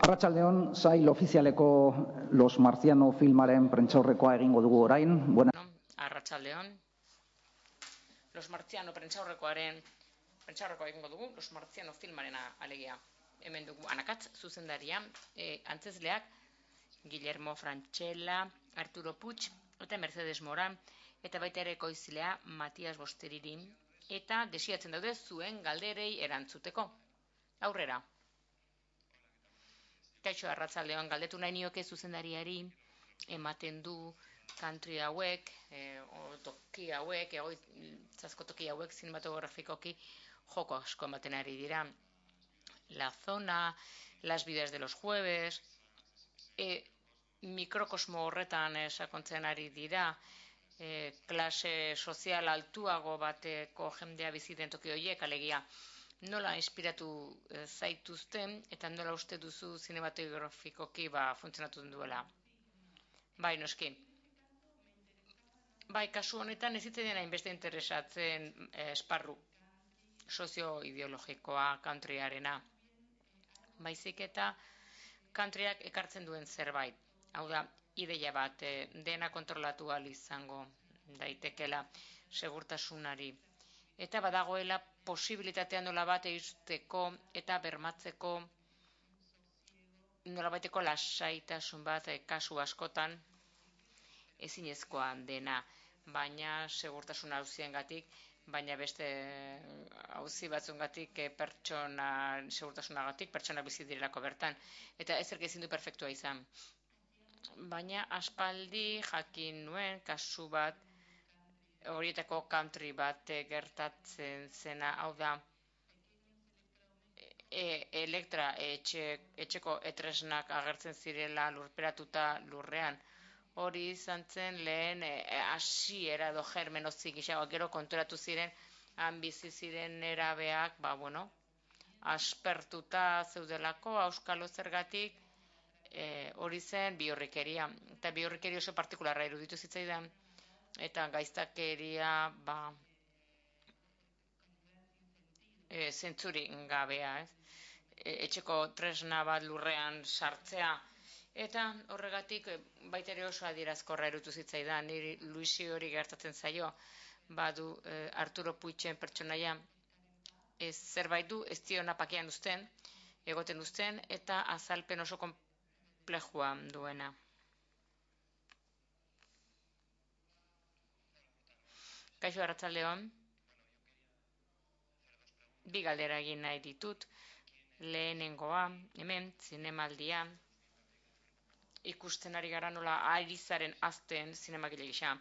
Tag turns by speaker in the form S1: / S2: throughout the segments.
S1: Arratsaldeon, sail ofizialeko Los Marciano filmaren prentsaurrekoa egingo dugu orain.
S2: Arratsaldeon, Los Marciano prentsaurrekoa egingo dugu, Los Marciano filmarena alegia. Hemen dugu Anakatz zuzendaria, antzezleak Guillermo Francella, Arturo Puig eta Mercedes Moran, eta baita ere ekoizlea Matias Bosteriri, eta desiatzen daude zuen galderei erantzuteko. Aurrera. Kaixo, arratsaldeon, galdetu nahi nioke zuzendariari ematen du country hauek, toki hauek, egoitzazko toki hauek cinematografikoki joko asko ematen ari dira. La zona, las vidas de los jueves, mikrokosmo horretan sakontzen ari dira, klase sozial altuago bateko jendea biziten toki horiek, alegia. Nola inspiratu zaituzten eta nola uste duzu zinematografikoki funtzionatu duela? Bai, noski. Bai, kasu honetan ez zitzaidan hainbeste interesatzen esparru sozio-ideologikoa countryarena. Baizik eta countryak ekartzen duen zerbait. Hau da, ideia bat dena kontrolatu ahal izango daitekela segurtasunari. Eta badagoela posibilitatea nolabait eusteko eta bermatzeko nolabaiteko lasaitasun bat kasu askotan ezinezkoa dena, baina segurtasun auziengatik, baina beste auzi batzuengatik pertsona segurtasunagatik pertsona bizi direlako bertan, eta ezerk ezin du perfektua izan. Baina aspaldi jakin nuen kasu bat horietako country bat gertatzen zena, hau da, Elektra etxeko etresnak agertzen zirela lurperatuta lurrean. Hori izan zen lehen hasiera edo germenozik gixago, gero konturatu ziren, han bizi ziren nerabeak, aspertuta zeudelako, auskalo zergatik, hori zen bihurrikeria. Eta bihurrikeria oso partikularra iruditu zitzaidan, eta gaiztakeria, zentzuri gabea, etxeko tresna bat lurrean sartzea, eta horregatik baita ere oso adierazkorra erutu zitzaidan, niri Luisi hori gertatzen zaio, badu Arturo Puigen pertsonaia zerbait du ez diona pakean uzten, egoten uzten, eta azalpen oso komplejua duena. Kaixo, arratsaldeon. Bi galdera egin nahi ditut. Lehenengoa, hemen, zinemaldia, ikusten ari gara nola Arizaren azten zinemagile gisa.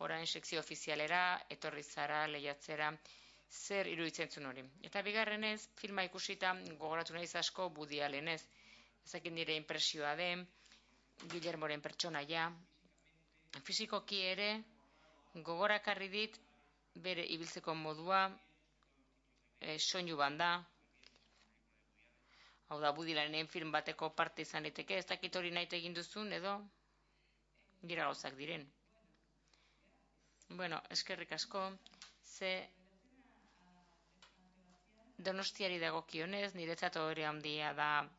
S2: Orain sekzio ofizialera, etorri zara, lehiatzera, zer iruditzen zuen hori. Eta bigarrenez, filma ikusita gogoratu nahiz asko Woody Allenez. Ezakin nire impresioa den, Guillermoren pertsonaia. Fisikoki ere, gogorakarri dit, bere ibiltzeko modua, soinu banda, hau da, Woody Allenen film bateko parte izan liteke, ez dakit hori nahi egin duzun edo dira gauzak diren. Bueno, eskerrik asko, ze Donostiari dagokionez, niretzat hori handia da,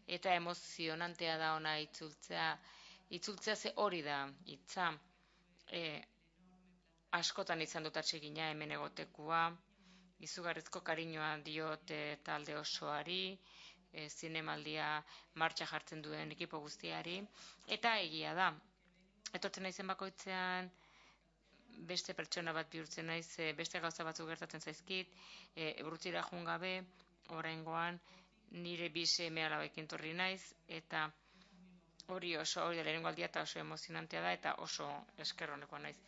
S2: eta emozionantea da ona itzultzea ze hori da, hitza, askotan izan dut atsegina hemen egotekua, izugarrizko kariñoa diot talde osoari, zinemaldia martxa jartzen duen ekipo guztiari, eta egia da. Etortzen naizen bakoitzean beste pertsona bat bihurtzen naiz, beste gauza batzuk gertatzen zaizkit, urrutira joan gabe, oraingoan nire bi seme-alabekin torri naiz, eta hori da lehenengo aldia eta oso emozionantea da, eta oso esker honekoa naiz.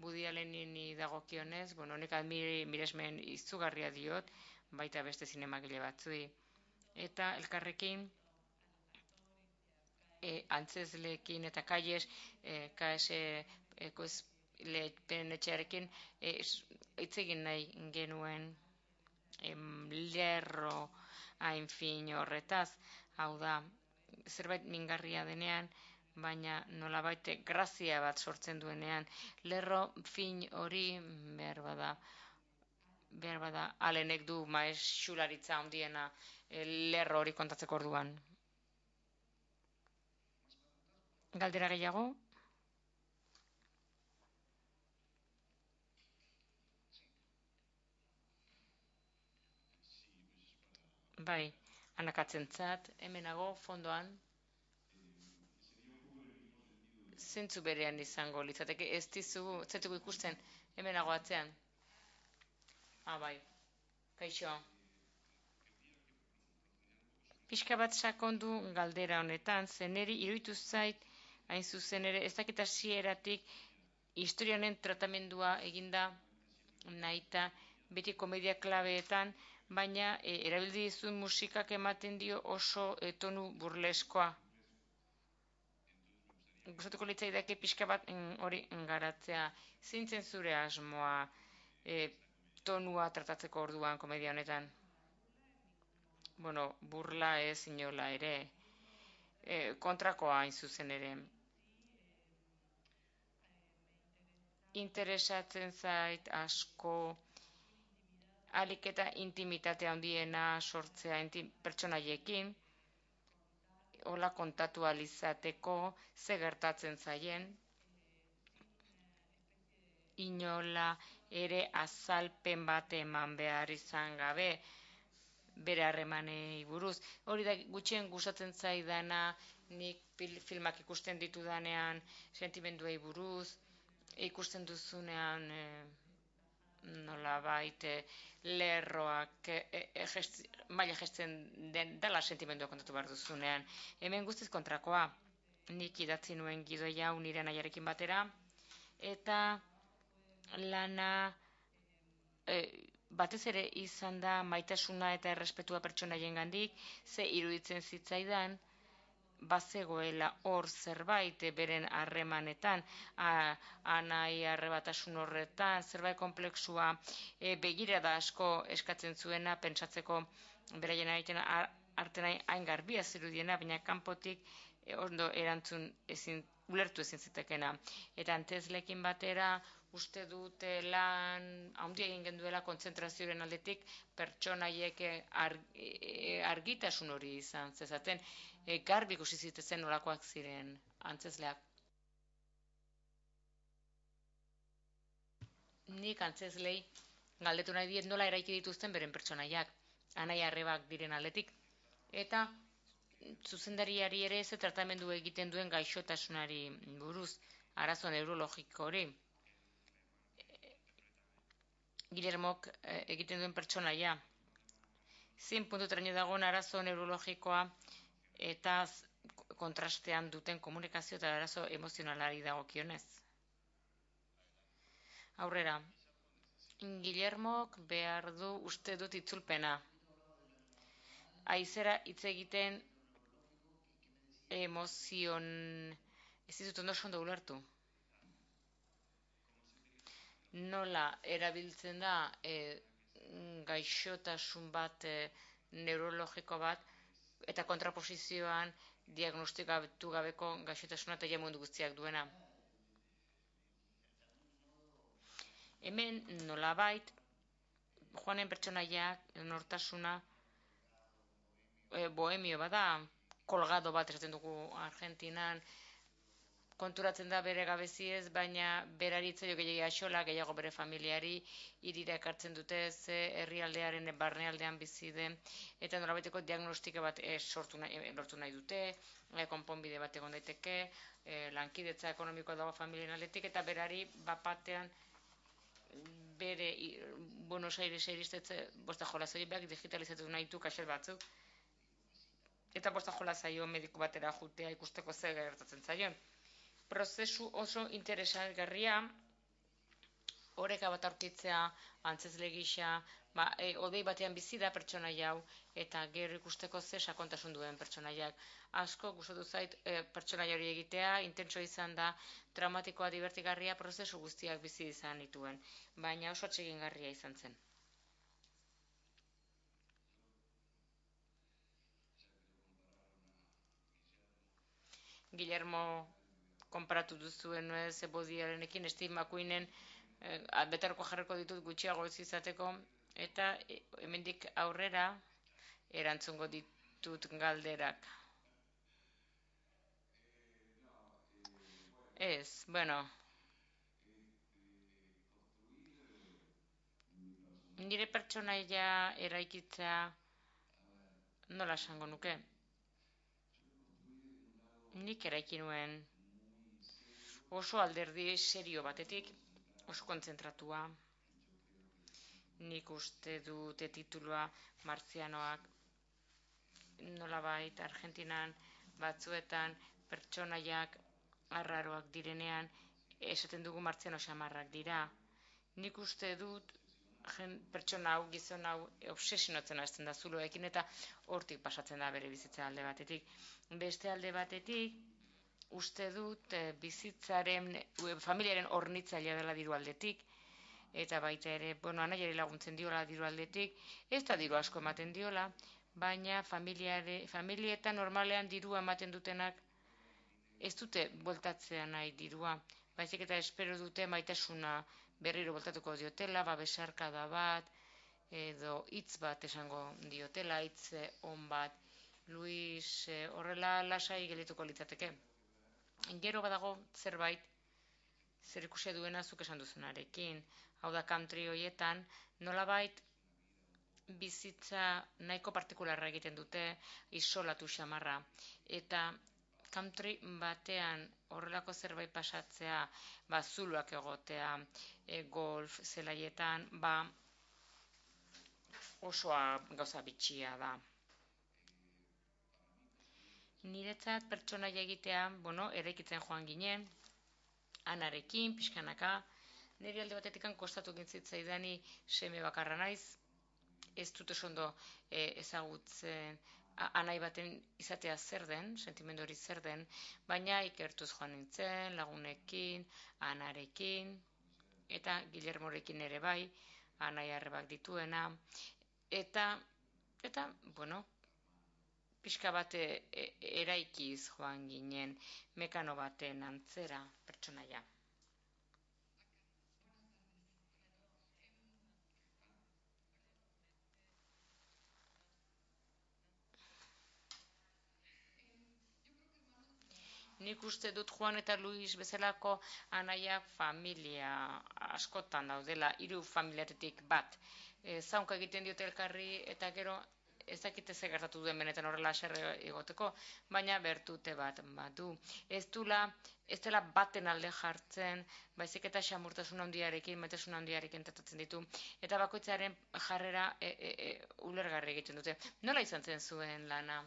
S2: Woody Allenini dagokionez, honek miresmen izugarria diot, baita beste zinemagile batzui. Eta elkarrekin, antzezleekin eta kaies, KS lehen etxearekin, hitz egin nahi genuen lerro hain fin horretaz, hau da, zerbait mingarria denean, baina nolabait grazia bat sortzen duenean, lerro fin hori behar bada, Allenek du maesularitza handiena lerro hori kontatzeko orduan. Galdera gehiago? Bai, anakatzentzat, hemenago, fondoan, zentzu berean izango litzateke, ez ditugu ikusten, hemenago atzean. Bai, kaixo. Pixka bat sakondu galdera honetan, zeneri iruditu zait, hain zuzen ere, ez dakit hasieratik historia honen tratamendua eginda nahita beti komedia klabeetan, baina erabildi dizun musikak ematen dio oso tonu burleskoa. Gustatuko litzaidake pixka bat hori garatzea. Zintzen zure asmoa tonua tratatzeko orduan komedia honetan? Bueno, burla ez inola ere. Kontrakoa hain zuzen ere. Interesatzen zait asko alik eta intimitate handiena sortzea pertsonaiekin, hola kontatu alizateko ze gertatzen zaien, inola ere azalpen bat eman behar izan gabe, bere harremanei buruz. Hori da gutxien gustatzen zaidana, nik filmak ikusten ditudanean sentimenduei buruz, ikusten duzunean nolabait lerroak maila gesten dela sentimendua kontatu behar duzunean. Hemen guztiz kontrakoa, nik idatzi nuen gidoia nire nahiarekin batera, eta lana batez ere izan da maitasuna eta errespetua pertsonaien gandik, ze iruditzen zitzaidan, bazegoela hor zerbait beren harremanetan, anai arrebatasun horretan, zerbait komplexua begirada asko eskatzen zuena, pentsatzeko beraien aiten arten hain garbia zirudiena, baina kanpotik ondo erantzun ulertu ezin zitekena. Eta Antzezlekin batera, uste dut lan handia egin genduela kontzentrazioaren aldetik pertsonaiek argitasun hori izan zezaten, garbi ikusi zitezen nolakoak ziren antzezleak. Nik antzezlei galdetu nahi diet nola eraiki dituzten beren pertsonaiak, anai arrebak diren aldetik, eta zuzendariari ere ze tratamendu egiten duen gaixotasunari buruz, arazo neurologiko hori. Guillermok egiten duen pertsonaia. Zin puntuteraino dagoen arazo neurologikoa eta kontrastean duten komunikazio eta arazo emozionalari dagokionez. Aurrera, Guillermok behar du uste dut itzulpena. Aizera hitz egiten emozion... Ez dizut ondo ondo ulertu. Nola erabiltzen da gaixotasun bat, neurologiko bat, eta kontraposizioan diagnostikatu gabeko gaixotasuna eta mundu guztiak duena. Hemen nolabait, Joanen pertsonaiak, nortasuna, bohemio bada, kolgado bat esaten dugu Argentinan, konturatzen da bere gabeziez, baina berari itzaio gehiago axola, gehiago bere familiari, hirira ekartzen dute ze herrialdearen barnealdean bizi den, eta nolabaiteko diagnostike bat lortu nahi dute, konponbide bat egon daiteke, lankidetza ekonomikoa dago familien aldetik, eta berari bapatean bere Buenos Aires iristetze bosta jola zaioak digitalizatu nahi du kaxel batzuk, eta bosta jola zaio mediku batera jutea ikusteko ze gertatzen zaion. Prozesu oso interesgarria, oreka bat aurkitzea, antzezle gisa, odei batean bizi da pertsonaia hau, eta gero ikusteko ze sakontasun duen pertsonaiak. Asko gustatu zait pertsonaia hori egitea, intentso izan da, traumatikoa, divertigarria, prozesu guztiak bizi izan dituen, baina oso atsegingarria izan zen. Guillermo konparatu duzuen Bodiarenekin, Steve McQueenen betarko jarriko ditut gutxiago ez izateko, eta hemendik aurrera erantzungo ditut galderak. Ez, bueno, nire pertsonaia eraikitzea nola esango nuke. Nik eraiki nuen oso alderdi serio batetik, oso kontzentratua. Nik uste dute titulua martzianoak nolabait Argentinan batzuetan pertsonaiak arraroak direnean esaten dugu martziano xamarrak dira. Nik uste dut pertsona hau, gizon hau obsesionatzen hasten da zuloekin eta hortik pasatzen da bere bizitza alde batetik. Beste alde batetik, uste dut bizitzaren, familiaren hornitzailea dela diru aldetik, eta baita ere, bueno, anaiari laguntzen diola diru aldetik, ez da diru asko ematen diola, baina familietan normalean dirua ematen dutenak ez dute bueltatzea nahi dirua, baizik eta espero dute maitasuna berriro bueltatuko diotela, besarkada bat, edo hitz bat esango diotela, hitz on bat. Luis horrela lasai geldituko litzateke. Gero badago zerbait zer ikusia duena zuk esan duzunarekin. Hau da country hoietan nolabait bizitza nahiko partikularra egiten dute, isolatu xamarra. Eta country batean horrelako zerbait pasatzea, zuloak egotea, golf zelaietan, osoa gauza bitxia da. Niretzat pertsonaia egitea, eraikitzen joan ginen, anarekin, pixkanaka, nire alde batetik kostatu gintzitzaidan seme bakarra naiz, ez dut oso ondo ezagutzen anai baten izatea zer den, sentimendu hori zer den, baina ikertuz joan nintzen, lagunekin, anarekin, eta Guillermorekin ere bai, anai arrebak dituena, eta bueno, pixka bat eraikiz joan ginen mekano baten antzera pertsonaia. Nik uste dut Juan eta Luis bezalako anaiak familia askotan daudela, 3 familiatetik bat. Zaunka egiten diote elkarri eta gero ez dakite ze gertatu duen benetan horrela haserre egoteko, baina bertute bat badu. Ez dela baten alde jartzen, baizik eta xamurtasun handiarekin, maitasun handiarekin tratatzen ditu, eta bakoitzaren jarrera ulergarri egiten dute. Nola izan zen zuen lana?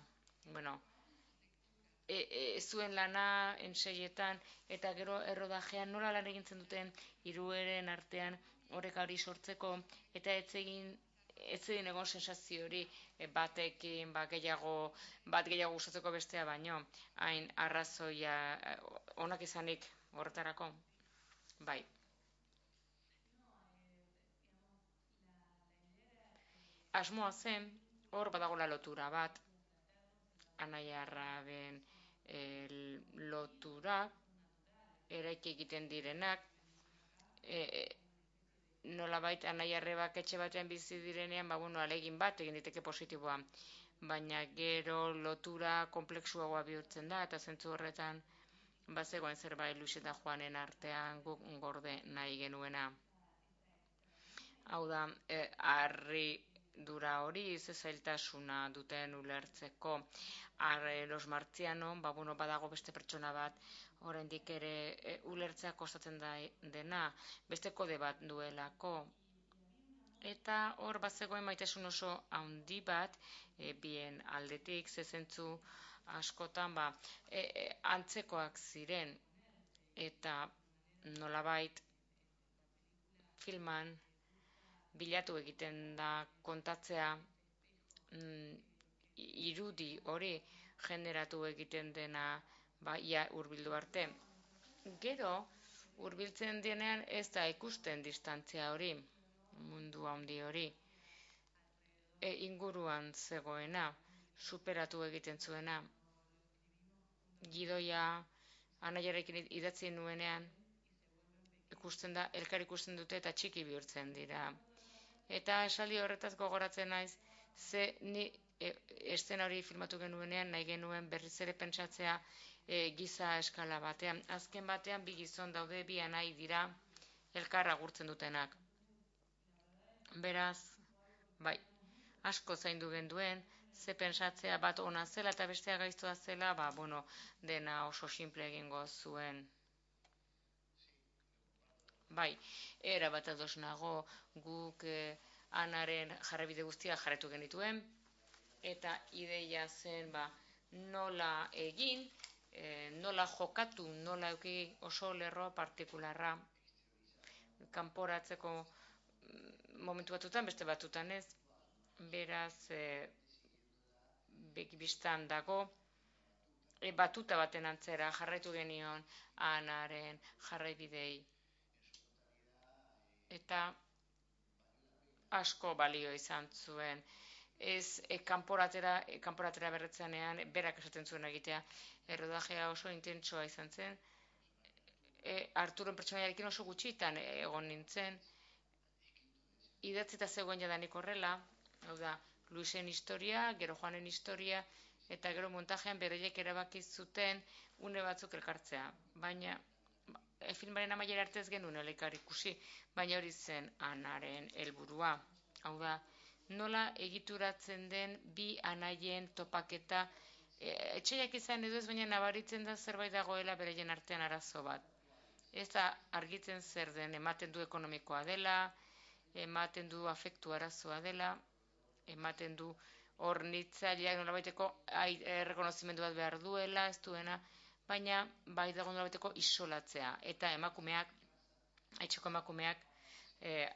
S2: Bueno, zuen lana enseietan eta gero errodajean nola lan egintzen duten hirueren artean oreka hori sortzeko eta ez egin egon sensazio hori batekin bat gehiago gustatzeko bestea baino hain arrazoia onak izanik horretarako bai. Asmoa zen hor badagola lotura bat anaia arraben loturak eraiki egiten direnak nolabait anaia arrebak etxe batean bizi direnean alegin bat egin diteke positiboa baina gero lotura kompleksuagoa bihurtzen da eta zentzu horretan bazegoen zerbait Luis eta Juanen artean guk gorde nahi genuena hau da harri dura hori zailtasuna duten ulertzeko los martziano badago beste pertsona bat oraindik ere ulertzea kostatzen dena beste kode bat duelako eta hor bazegoen maitasun oso handi bat bien aldetik zezentzu askotan antzekoak ziren eta nolabait filman bilatu egiten da kontatzea irudi hori generatu egiten dena ia hurbildu arte. Gero hurbiltzen denean ez da ikusten distantzia hori, mundu handi hori. Inguruan zegoena, superatu egiten zuena. Gidoia anaiarekin idatzi nuenean ikusten da, elkar ikusten dute eta txiki bihurtzen dira. Eta esaldi horretaz gogoratzen naiz, ze ni estena hori filmatu genuenean nahi genuen berriz ere pentsatzea giza eskala batean. Azken batean bi gizon daude, bi anai dira elkar agurtzen dutenak. Beraz, bai, asko zaindu genduen, ze pentsatzea bat ona zela eta bestea gaiztoa zela, dena oso simple egingo zuen. Bai, era bat ados nago, guk Anaren jarraibide guztia jarretu genituen, eta ideia zen nola egin, nola jokatu, nola euki oso lerro partikularra kanporatzeko momentu batutan, beste batutan ez, beraz bekibistan dago, batuta baten antzera jarraitu genion Anaren jarraibidei. Eta asko balio izan zuen. Ez kanporatera berretzenean berak esaten zuen egitea. Errodajea oso intentsoa izan zen. Arturon pertsonaiarekin oso gutxitan egon nintzen. Idatzita zegoen jadanik horrela, hau da, Luisen historia, gero Joanen historia, eta gero montajean bereiek erabaki zuten une batzuk elkartzea. Baina filmaren amaiera arte ez genuen elkar ikusi, baina hori zen Anaren helburua. Hau da, nola egituratzen den bi anaien topaketa, etxeiak izan edo ez, baina nabaritzen da zerbait dagoela bereien artean arazo bat. Ez da argitzen zer den, ematen du ekonomikoa dela, ematen du afektu arazoa dela, ematen du hornitzaileak nolabaiteko errekonozimendu bat behar duela, ez duena, baina bai dago nolabaiteko isolatzea. Eta emakumeak, etxeko emakumeak,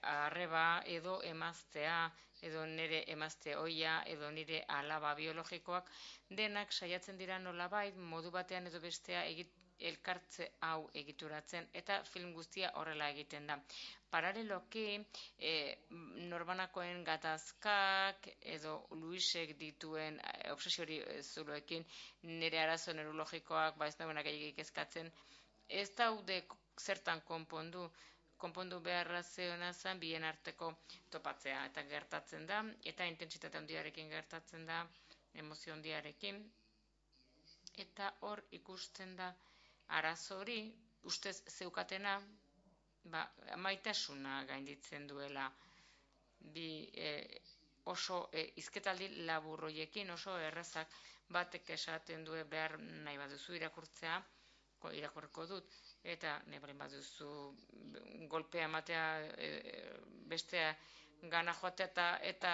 S2: arreba edo emaztea, edo nire emazte oia, edo nire alaba biologikoak, denak saiatzen dira nolabait, modu batean edo bestea elkartze hau egituratzen, eta film guztia horrela egiten da. Paraleloki, norbanakoen gatazkak, edo Luisek dituen obsesiori zuloekin, nire arazo neurologikoak, ez dauenak egik ezkatzen, ez daude zertan konpondu beharra zeona zen bien arteko topatzea, eta gertatzen da, eta intentsitate handiarekin gertatzen da, emozio handiarekin, eta hor ikusten da arazo hori, ustez zeukatena, maitasuna gainditzen duela, oso hizketaldi laburroiekin, oso errazak, batek esaten du behar nahi baduzu irakurtzea, irakurriko dut, eta nahi balen baduzu golpea ematea bestea gana joatea eta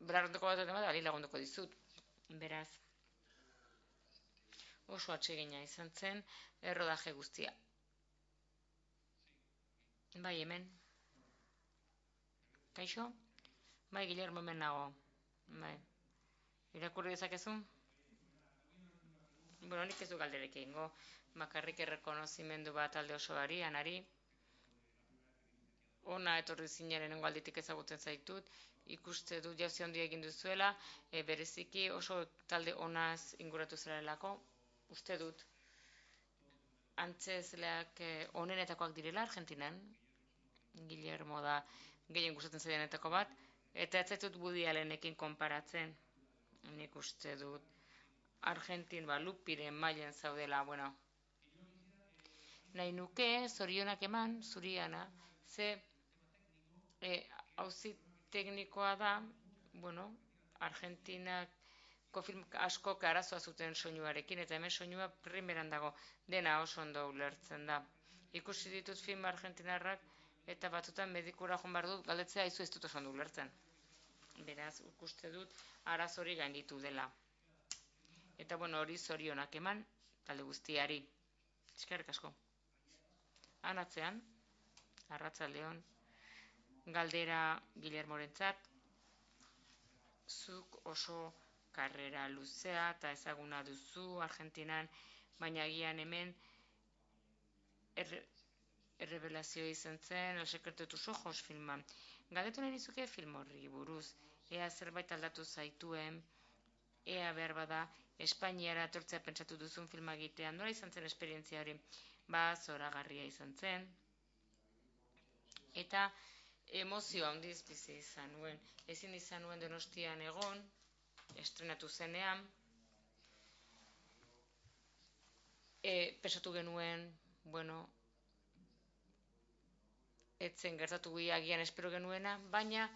S2: belarronteko bat eta ali lagunduko dizut. Beraz, oso atsegina izan zen errodaje guztia. Bai, hemen. Kaixo? Bai, Guillermo, hemen nago. Bai. Irakurri dezakezu? Nik ez du galderek egingo. Bakarrik errekonozimendu bat alde osoari, Anari. Ona etorri zinaren alditik ezagutzen zaitut. Ikuste dut jauzi handia egin duzuela. Bereziki oso talde onaz inguratu zerelako. Uste dut. Antzezleak onenetakoak direla Argentinan. Guillermo da gehien gustatzen zaidanetako bat, eta ez zaitut Woody Allenekin konparatzen. Nik uste dut Argentin lupiren mailen zaudela, nahi nuke zorionak eman, zuri Ana, ze auzi teknikoa da, Argentinako film asko arazoa zuten soinuarekin, eta hemen soinua primeran dago, dena oso ondo ulertzen da. Ikusi ditut film argentinarrak, eta batzutan medikura joan behar dut, galdetzea izu ez dut oso ondo ulertzen. Beraz, ikuste dut arazo hori gainditu dela. Eta hori zorionak eman, talde guztiari. Eskerrik asko. Anatzean, arratsaldeon, galdera Guillermorentzat, zuk oso karrera luzea eta ezaguna duzu Argentinan, baina agian hemen errebelazioa izan zen, El secreto de tus ojos filman. Galdetu nahi dizuke film horri buruz, ea zerbait aldatu zaituen, ea behar bada Espainiara etortzea pentsatu duzun filma egitean, nola izan zen esperientzia hori? Zoragarria izan zen, eta emozio handiz bizi izan nuen. Ezin izan nuen Donostian egon, estrenatu zenean, Pesatu genuen, bueno, etzen gertatu agian espero genuena, baina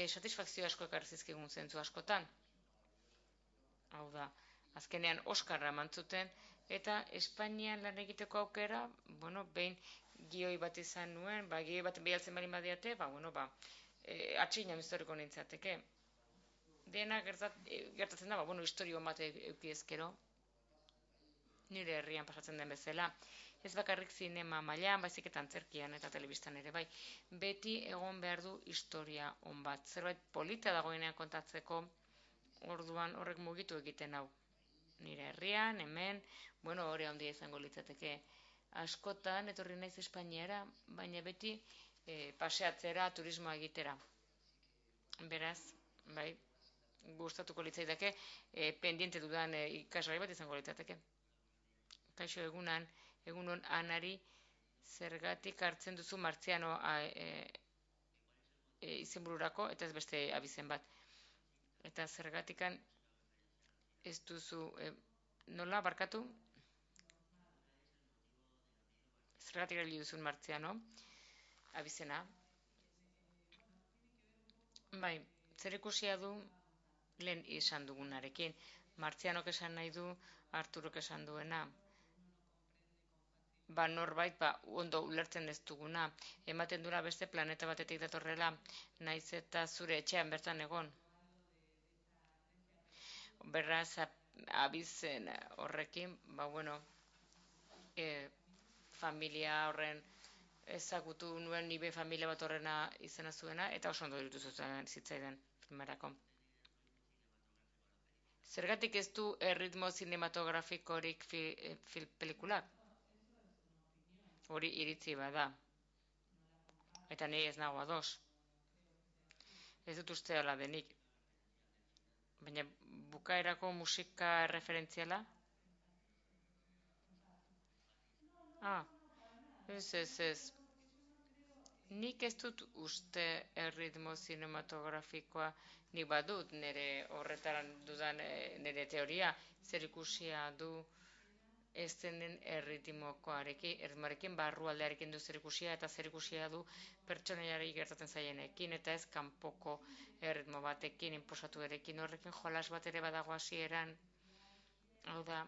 S2: satisfakzio asko ekarri zizkigun zentzu askotan. Hau da, azkenean Oskarra mantzuten, eta Espainian lan egiteko aukera, bueno, behin gioi bat izan nuen, gioi bat bialtzen bali badiate, atxina historiko nintzateke. Dena gertatzen da, bueno, historio bat eukiezkero, nire herrian pasatzen den bezala. Ez bakarrik zinema mailan, baizik eta antzerkian eta telebistan ere bai. Beti egon behar du historia on bat. Zerbait polita dagoenean kontatzeko, orduan horrek mugitu egiten hau. Nire herrian, hemen, bueno, hori handia izango litzateke. Askotan, etorri naiz Espainiara, baina beti paseatzera, turismoa egitera. Beraz, bai, gustatuko litzaidake, pendiente dudan ikasgai bat izango litzateke. Kaixo egunon Anari, zergatik hartzen duzu Martziano izenbururako, eta ez beste abizen bat. Eta zergatikan ez duzu, nola, barkatu? Zergatik erabili duzun Martziano, abizena. Bai, zer ikusia du lehen esan dugunarekin. Martzianok esan nahi du, Arturok esan duena. Norbait, ondo ulertzen ez duguna. Ematen dura beste planeta batetik datorrela, naiz eta zure etxean bertan egon. Beraz, abizen horrekin, familia horren ezagutu nuen nibe familia bat horrena izena zuena, eta oso ondo irutu zuten zitzaidan filmarako. Zergatik ez du erritmo zinematografikorik pelikulak? Hori iritzi bada. Eta nire ez nago ados. Ez dut uste hala denik. Baina bukaerako musika referentziala? Ez. Nik ez dut uste erritmo zinematografikoa, nik badut nire horretaran dudan nire teoria, zer ikusia du ez denen erritmoarekin, barrualdearekin du zer ikusia, eta zer ikusia du pertsonaiari gertatzen zaienekin, eta ez kanpoko erritmo batekin, inposatu erekin, horrekin jolas bat ere badago hasieran. Hau da,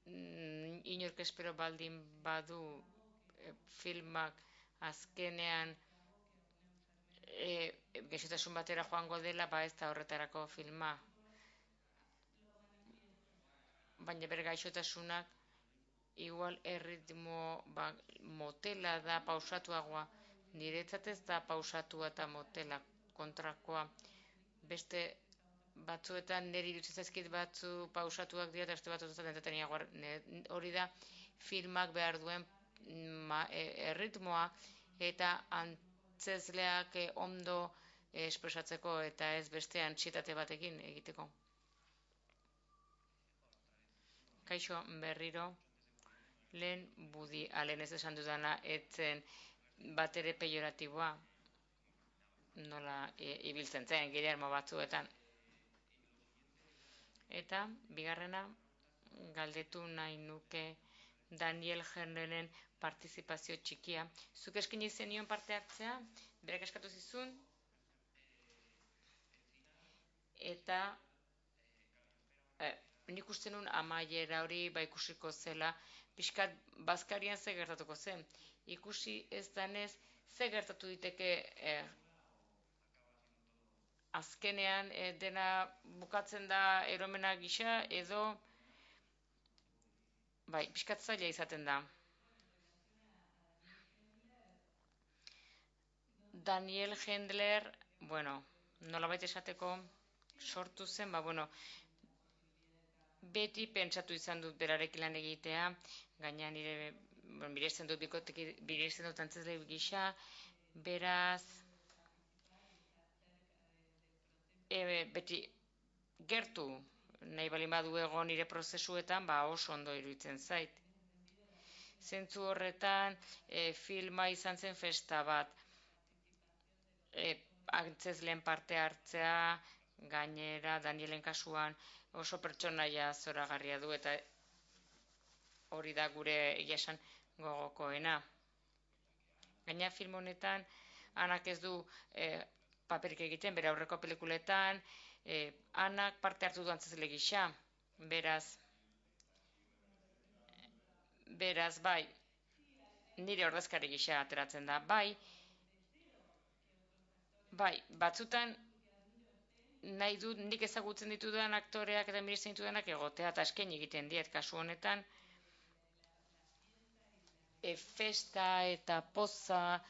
S2: inork espero baldin badu filmak azkenean gaixotasun batera joango dela, ez da horretarako filma. Baina bere gaixotasunak igual erritmo motela da, pausatuagoa. Niretzat ez da pausatua eta motela kontrakoa. Beste batzuetan niri iruditzen zaizkit batzu pausatuak dira eta beste batzuetan entreteniagoa. Hori da filmak behar duen erritmoa eta antzezleak ondo espresatzeko eta ez beste antsietate batekin egiteko. Kaixo berriro, lehen Budi Allen ez esan dudana etzen bat ere pejoratiboa, nola ibiltzen zen, Guillermo batzuetan. Eta, bigarrena, galdetu nahi nuke Daniel Hendleren partizipazio txikia. Zuk eskaini zenion parte hartzea, berak eskatu zizun, eta nik uste nun amaiera hori ikusiko zela, pixkat Bazkarian ze gertatuko zen. Ikusi ez danez, ze gertatu diteke azkenean dena bukatzen da eromena gisa, edo pixkat zaila izaten da. Daniel Hendler, nolabait esateko sortu zen, beti pentsatu izan dut berarekin lan egitea, gaina nire biresten dut antzezle gisa, beraz beti gertu nahi balin badu egon nire prozesuetan, oso ondo iruditzen zait. Zentzu horretan filma izan zen festa bat, antzezleen parte hartzea, gainera Danielen kasuan oso pertsonaia zoragarria du, eta hori da gure egia esan gogokoena. Gaina film honetan, Anak ez du paperik egiten, bere aurreko pelikuletan, Anak parte hartu du antzezle gisa, beraz, bai, nire ordezkari gisa ateratzen da, bai, batzutan nahi dut nik ezagutzen ditudan aktoreak eta miresten ditudanak egotea, eta eskaini egiten diet, kasu honetan, festa eta poza,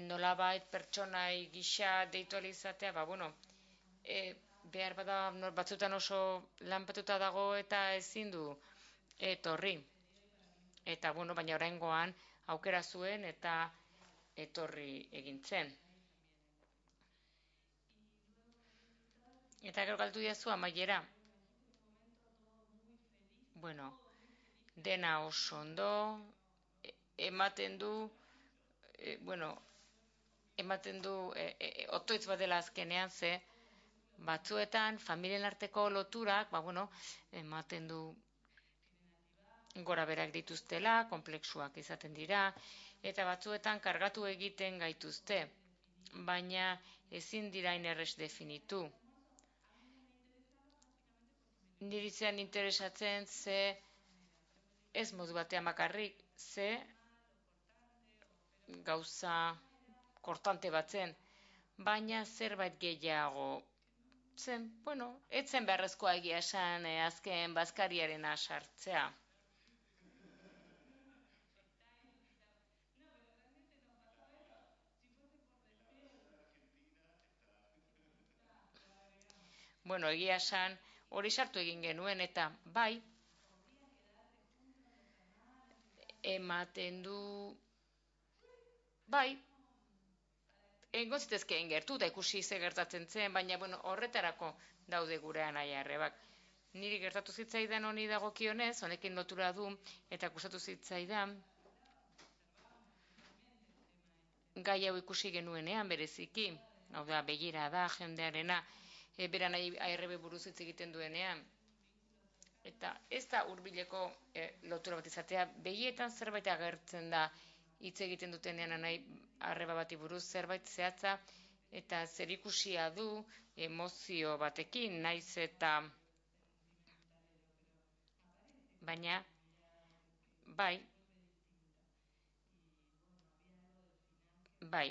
S2: nolabait pertsonai gisa deitu izatea, behar bada batzutan oso lanpetuta dago eta ezin du etorri. Eta, baina oraingoan aukera zuen eta etorri egintzen. Eta gero galdu diazu amaiera. Dena oso ondo, ematen du, otoitz bat dela azkenean, ze batzuetan familien arteko loturak, ematen du gora berak dituztela, konplexuak izaten dira, eta batzuetan kargatu egiten gaituzte, baina ezin dira inerrez definitu. Niri zean interesatzen ze ez modu batean bakarrik, ze gauza kortante batzen, baina zerbait gehiago zen, etzen beharrezkoa egia esan azken bazkariarena sartzea. Egia esan hori sartu egin genuen eta bai, ematen du, bai, egon zitezkeen gertu da ikusi ze gertatzen zen, baina horretarako daude gure anaiarrebak. Niri gertatu zitzaidan honi dagokionez, honekin lotura du, eta gustatu zitzaidan, gai hau ikusi genuenean bereziki, hau da, begira da, jendearena, beran ARB buruz hitz egiten duenean. Eta ez da hurbileko lotura bat izatea, begietan zerbait agertzen da hitz egiten dutenean nahi arreba bati buruz zerbait zehatza, eta zerikusia du emozio batekin, naiz eta baina bai,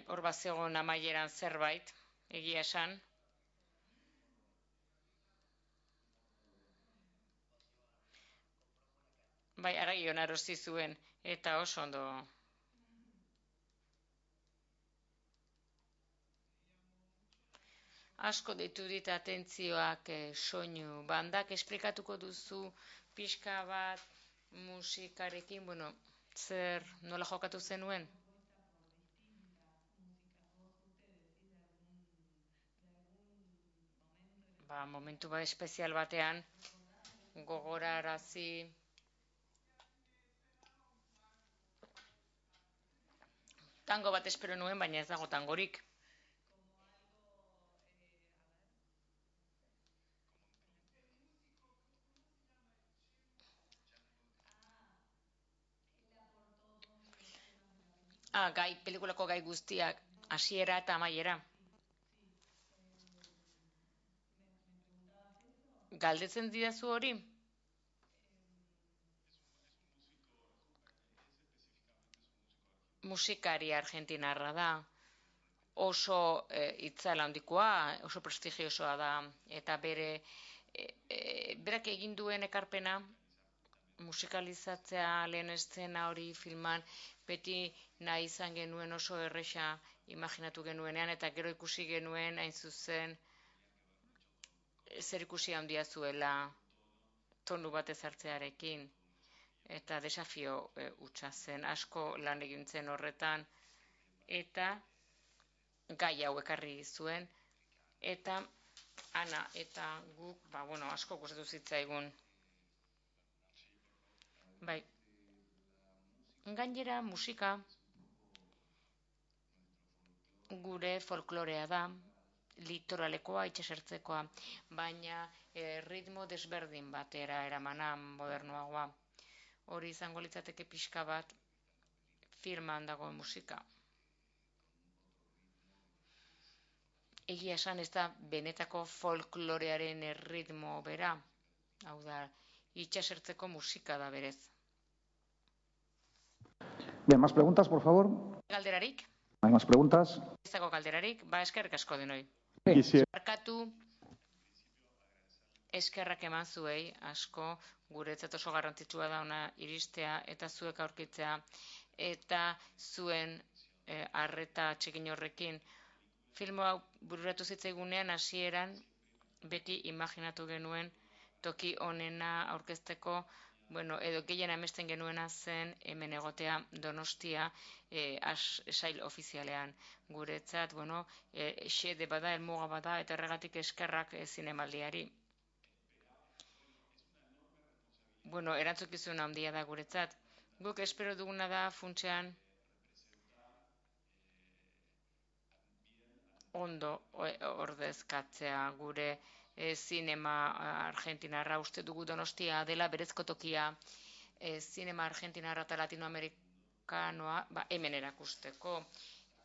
S2: hor bat zegoen amaieran zerbait, egia esan. Argion arosi zuen, eta oso ondo. Asko deitu dit atentzioak soinu bandak, esplikatuko duzu pixka bat musikarekin, nola jokatu zenuen? Momentu espezial batean, gogorarazi. Tango bat espero nuen, baina ez dago tangorik. Pelikulako gai guztiak, hasiera eta amaiera. Galdetzen didazu hori? Musikari argentinarra da. Oso itzala handikoa, oso prestigiosoa da, eta berak egin duen ekarpena, musikalizatzea lehen eszena hori filman, beti nahi izan genuen oso erresa imaginatu genuenean, eta gero ikusi genuen hain zuzen zer ikusi handia zuela tonu bat ezartzearekin, eta desafio hutsa zen, asko lan egintzen horretan, eta gai hau ekarri zuen, eta Ana eta guk, asko gustatu zitzaigun. Gainera musika gure folklorea da, litoralekoa, itxasertzekoa, baina ritmo desberdin batera eramana modernoagoa. hori izango litzateke pixka bat filman dagoen musika. Egia esan ez da benetako folklorearen erritmo bera, hau da, itxasertzeko musika da berez.
S1: Bien, más preguntas, por favor.
S2: Galderarik?
S1: ¿Hay más preguntas?
S2: Ez dago galderarik, eskerrik asko denoi. Barkatu, eskerrak eman zuei, asko, guretzat oso garrantzitsua da ona iristea eta zuek aurkitzea eta zuen arreta txekin horrekin. Filmo hau bururatu zitzaigunean hasieran beti imaginatu genuen toki onena aurkezteko, edo gehien amesten genuena zen hemen egotea Donostia sail ofizialean. Guretzat, xede bada, helmuga bada, eta horregatik eskerrak zinemaldiari. Erantzukizun handia da guretzat. Guk espero duguna da funtsean ondo ordezkatzea gure zinema argentinarra. Uste dugu Donostia dela berezko tokia zinema argentinarra eta latinoamerikanoa hemen erakusteko.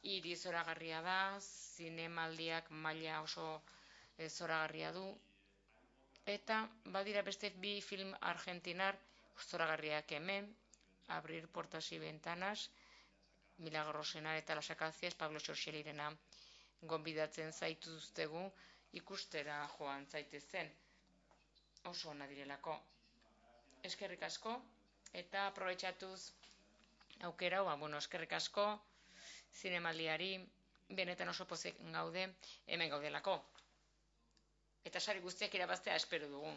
S2: Hiri zoragarria da, zinemaldiak maila oso zoragarria du, eta badira beste bi film argentinar zoragarriak hemen, Abrir Puertas y Ventanas, Milagrosena eta Las Acacias, Pablo Xorxelirena gonbidatzen zaituztegu ikustera joan zaitezen. Oso ona direlako. Eskerrik asko, eta aprobetxatuz aukera, eskerrik asko zinemaldiari, benetan oso pozik gaude, hemen gaudelako. Eta sari guztiak irabaztea espero dugu.